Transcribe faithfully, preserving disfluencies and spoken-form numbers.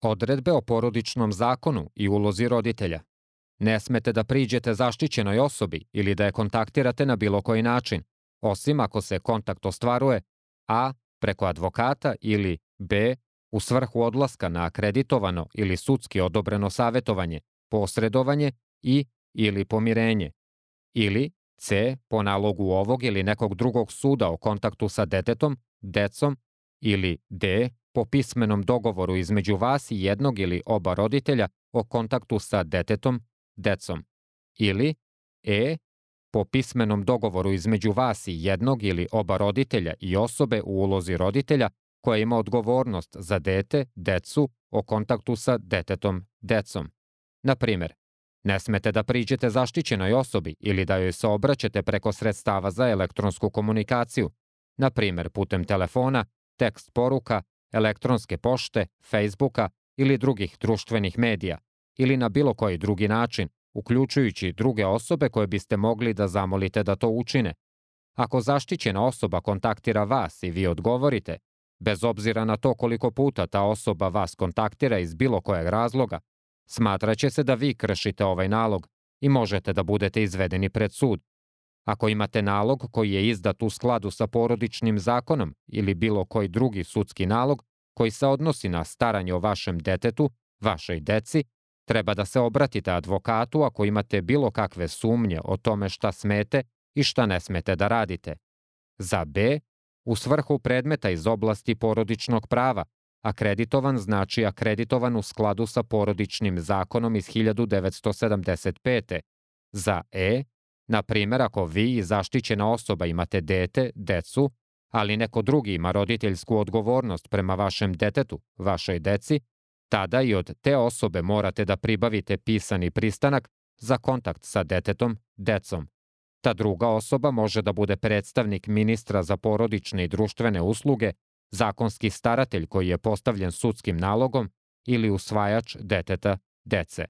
Odredbe o porodičnom zakonu i ulozi roditelja. Ne smete da priđete zaštićenoj osobi ili da je kontaktirate na bilo koji način, osim ako se kontakt ostvaruje a. preko advokata ili b. u svrhu odlaska na akreditovano ili sudski odobreno savetovanje, posredovanje i ili pomirenje, ili c. po nalogu ovog ili nekog drugog suda o kontaktu sa detetom, decom, ili d. po pismenom dogovoru između vas i jednog ili oba roditelja o kontaktu sa detetom, decom, ili e. po pismenom dogovoru između vas i jednog ili oba roditelja i osobe u ulozi roditelja koja ima odgovornost za dete, decu, o kontaktu sa detetom, decom. Na primer, ne smete da priđete zaštićenoj osobi ili da joj se obraćate preko sredstava za elektronsku komunikaciju, na primer putem telefona, tekst poruka, elektronske pošte, Facebooka ili drugih društvenih medija, ili na bilo koji drugi način, uključujući druge osobe koje biste mogli da zamolite da to učine. Ako zaštićena osoba kontaktira vas i vi odgovorite, bez obzira na to koliko puta ta osoba vas kontaktira iz bilo kojeg razloga, smatraće se da vi kršite ovaj nalog i možete da budete izvedeni pred sud. Ako imate nalog koji je izdat u skladu sa porodičnim zakonom ili bilo koji drugi sudski nalog koji se odnosi na staranje o vašem detetu, vašoj deci, treba da se obratite advokatu ako imate bilo kakve sumnje o tome šta smete i šta ne smete da radite. Za b. u svrhu predmeta iz oblasti porodičnog prava, akreditovan znači akreditovan u skladu sa porodičnim zakonom iz hiljadu devetsto sedamdeset pete. Za e. na primjer, ako vi i zaštićena osoba imate dete, decu, ali neko drugi ima roditeljsku odgovornost prema vašem detetu, vašoj deci, tada i od te osobe morate da pribavite pisani pristanak za kontakt sa detetom, decom. Ta druga osoba može da bude predstavnik ministra za porodične i društvene usluge, zakonski staratelj koji je postavljen sudskim nalogom ili usvajač deteta, dece.